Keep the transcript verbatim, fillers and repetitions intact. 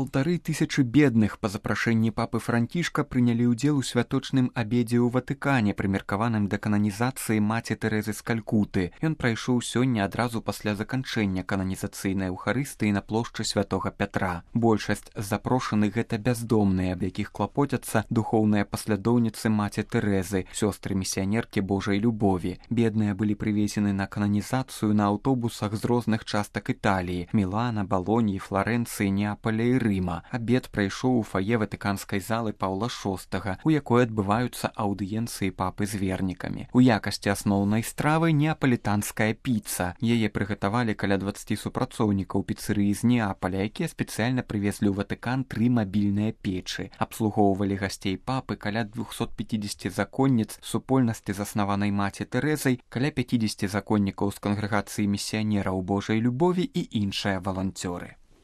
Паўтары тысячы бедных па запрашэнні папы Францішка прынялі ўдзел у святочным абедзе ў Ватыкане, прымеркаваным да кананізацыі маці Тэрэзы з Калькуты. Ён прайшоў сёння адразу пасля заканчэння кананізацыйнай эўхарыстыі на плошчы святога Пятра. Большасць з запрошаных гэта бяздомныя, аб якіх клапоцяцца духоўныя паслядоўніцы маці Тэрэзы, сёстры місіянеркі Божай любові. Бедныя былі прывезены на кананізацыю на аўтобусах з розных частак Італіі: Мілана, Балоніі, Фларэнцыі, Неапаля і Рыма. Абед прайшоў у фае ватыканскай залы Паўла шостага, у якой адбываюцца аўдыенцыі папы з вернікамі. У якасці асноўнай стравы неапалітанская піца. Яе прыгатавалі каля дваццаці супрацоўнікаў піцэрыі з Неапаля, якія спецыяльна прывезлі ў Ватыкан тры мабільныя печы. Абслугоўвалі гасцей папы каля двухсот пяцідзесяці законніц супольнасці, заснаванай маці Тэрэзай, каля пяцідзесяці законнікаў з кангрэгацыі місіянераў Божай любові і іншыя валанцёры.